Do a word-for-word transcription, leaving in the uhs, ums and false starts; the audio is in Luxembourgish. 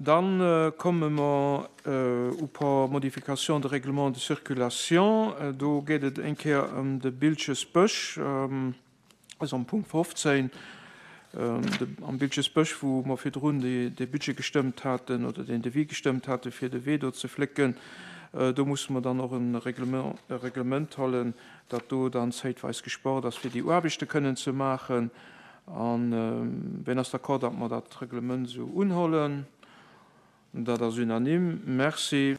Dann äh, komme mer äh, e puer Modifications de règlement de circulation. Äh, do geet et eng Kéier ëm de Bilchesbësch, ähm, also am Punkt fofzéng, ähm, de, am Bilchesbësch, wou mer virdrun de, de Budget gestëmmt haten oder den Devis gestëmmt hate fir de Wee do ze flécken. Äh, do musse mer dann och e Reglement, e Reglement huelen, datt do dann zäitweis gespaart ass fir déi Aarbechte kënnen ze maachen. An äh, wien ass d'accord, datt mer dat Reglement sou unhuelen? Dat ass unanime. Merci.